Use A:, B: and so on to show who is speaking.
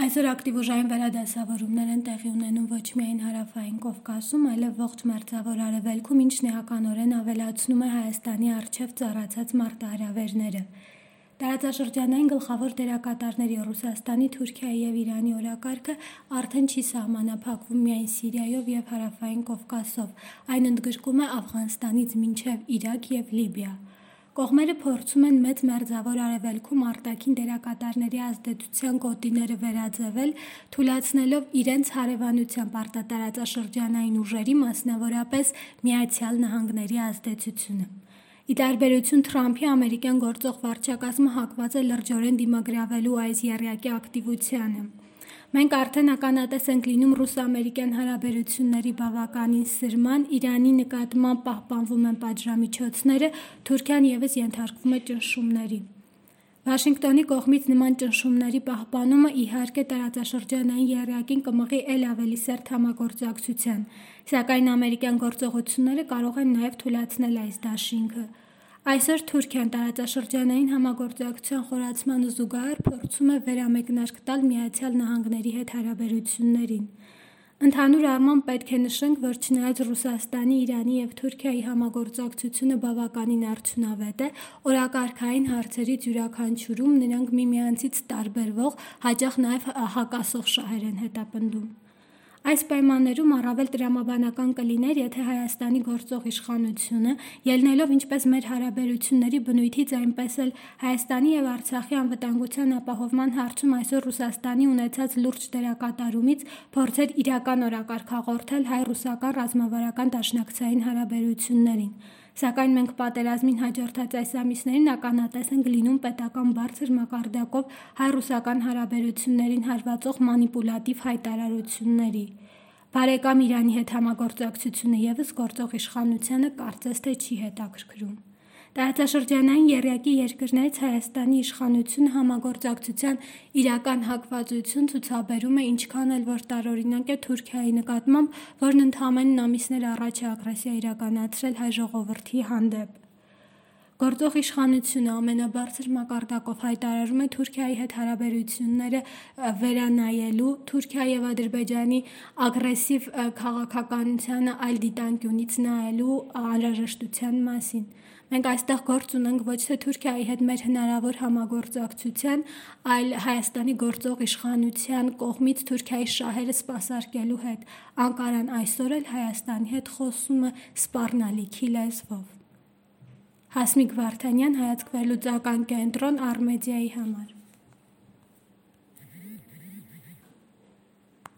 A: Այսօր ակտիվ ուժային վերադասավորումներ են տեղի ունենում ոչ միայն հարավային Կովկասում, այլև ողջ Մերձավոր Արևելքում, ինչն էականորեն ավելացնում է Հայաստանի առջև ծառացած մարտահրավերները։ Տարածաշրջանային գլխավոր դերակատարների Ռուսաստանի, Թուրքիայի և Իրանի օրակարգը արդեն չի սահմանափակվում միայն Սիրիայով և հարավային Կովկասով, այն ընդգրկում է Աֆղանստանից մինչև Իրաք և Լիբիա։ Կողմերը փորձում են Մեծ Մերձավոր Արևելքում արտաքին դերակատարների ազդեցության գոտիները վերաձևել, թույլատնելով իրենց հարևանությամբ արտատարածաշրջանային ուժերի, մասնավորապես Միացյալ Նահանգների ազդեցությունը։ Ի տարբերություն Թրամփի, ամերիկյան գործող վարչակազմը հակված է լրջորեն դիմագրավելու այս եռյակի ակտիվությանը։ Մենք արդեն ականատես ենք լինում ռուս-ամերիկյան հարաբերությունների բավականին սրման, Իրանի նկատմամբ պահպանվում են պատժամիջոցները, Թուրքիան ևս ենթարկվում է ճնշումների։ Վաշինգտոնի կողմից նման ճնշումների պահպանումը իհարկե տարածաշրջանային եռյակին կմղի էլ ավելի սերտ համագործակցության, սակայն ամերիկյան գործողությունները կարող են նաև թույլատնել այս դաշինքը։ Այսօր Թուրքիան տարածաշրջանային համագործակցության խորացմանը զուգահեռ փորձում է վերամեկնարկ տալ Միացյալ Նահանգների հետ հարաբերություններին։ Ընդհանուր առմամբ պետք է նշենք, որ չնայած Ռուսաստանի, Իրանի և Թուրքիայի համագործակցությունը բավականին արդյունավետ է, օրակարգային հարցերից յուրաքանչյուրում նրանք միմյանցից տարբերվող, հաճախ նաև հակասող շահեր են հետապնդում։ Այս պայմաններում առավել տրամաբանական կլիներ, եթե Հայաստանի գործող իշխանությունը, ելնելով ինչպես մեր հարաբերությունների բնույթից, այնպես էլ Հայաստանի և Արցախի անվտանգության ապահովման հարցում այսօր Ռուսաստանի ունեցած լուրջ դերակատարումից, փորձեր իրական օրակարգ հաղորդել հայ-ռուսական ռազմավարական դաշնակցային հարաբերություններին։ Սակայն մենք պատերազմին հաջորդած այս ամիսներին ականատես ենք լինում պետական բարձր մակարդակով հայ-ռուսական հարաբերություններին հարվածող մանիպուլատիվ հայտարարությունների։ Բարեկամ Իրանի հետ համագործակցությունը ևս գործող իշխանությանը կարծես թե չի հետաքրքրում։ Տարածաշրջանային եռյակի երկրներից Հայաստանի իշխանությունը համագործակցության իրական հակվածություն ցուցաբերում է ինչքան էլ որ տարօրինակ է Թուրքիայի նկատմամբ, որն ընդամենն ամիսներ առաջ է ագրեսիա իրականացրել հայ ժողովրդի հանդեպ։ Գործող իշխանությունը ամենաբարձր մակարդակով հայտարարում է Թուրքիայի հետ հարաբերությունները վերանայելու, Թուրքիա և Ադրբեջանի ագրեսիվ քաղաքականությանը այլ դիտանկյունից նայելու անհրաժեշտության մասին։ Մենք այստեղ գործ ունենք ոչ թե Թուրքիայի հետ մեր հնարավոր համագործակցության, այլ Հայաստանի գործող իշխանության կողմից Թուրքիայի շահերը սպասարկելու հետ։ Անկարան այսօր էլ Հայաստանի հետ խոսում է սպառնալիքի լեզվով։ Հասմիկ Վարդանյան, Հայացք վերլուծական կենտրոն, Առմեդիայի համար։